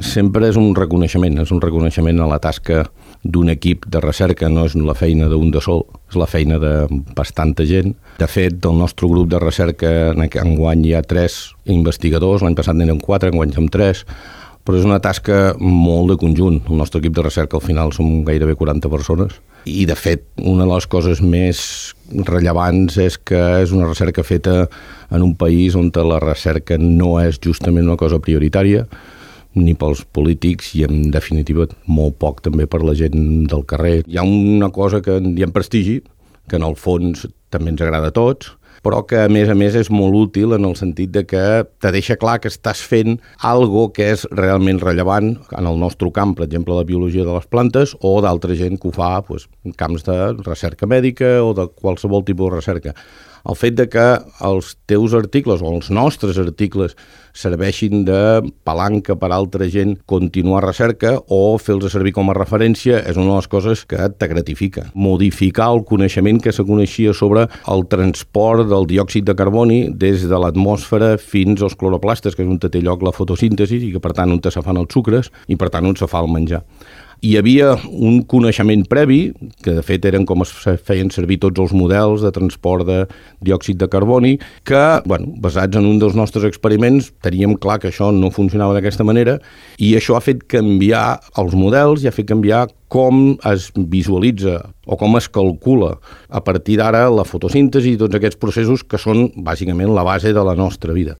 sempre és un reconeixement a la tasca d'un equip de recerca, no és la feina d'un de sol, és la feina de bastanta gent. De fet, del nostre grup de recerca enguany hi ha 3 investigadors, l'any passat n'eren 4, enguany som 3, però és una tasca molt de conjunt. El nostre equip de recerca al final som gairebé 40 persones i, de fet, una de les coses més rellevants és que és una recerca feta en un país on la recerca no és justament una cosa prioritària, ni pels polítics i, en definitiva, molt poc també per la gent del carrer. Hi ha una cosa que en diem prestigi, que en el fons també ens agrada a tots, però que, a més, és molt útil en el sentit de que te deixa clar que estàs fent algo que és realment rellevant en el nostre camp, per exemple, la biologia de les plantes, o d'altra gent que ho fa en camps de recerca mèdica o de qualsevol tipus de recerca. El fet de que els teus articles o els nostres articles serveixin de palanca per a altra gent continuar recerca o fer-los servir com a referència és una de les coses que te gratifica. Modificar el coneixement que se coneixia sobre el transport del diòxid de carboni des de l'atmosfera fins als cloroplastes, que és on té lloc la fotosíntesi i que, per tant, on se fan els sucres i, per tant, on se fa el menjar. Hi havia un coneixement previ, que de fet eren com es feien servir tots els models de transport de diòxid de carboni, que, basats en un dels nostres experiments, teníem clar que això no funcionava d'aquesta manera i això ha fet canviar els models i ha fet canviar com es visualitza o com es calcula a partir d'ara la fotosíntesi i tots aquests processos que són bàsicament la base de la nostra vida.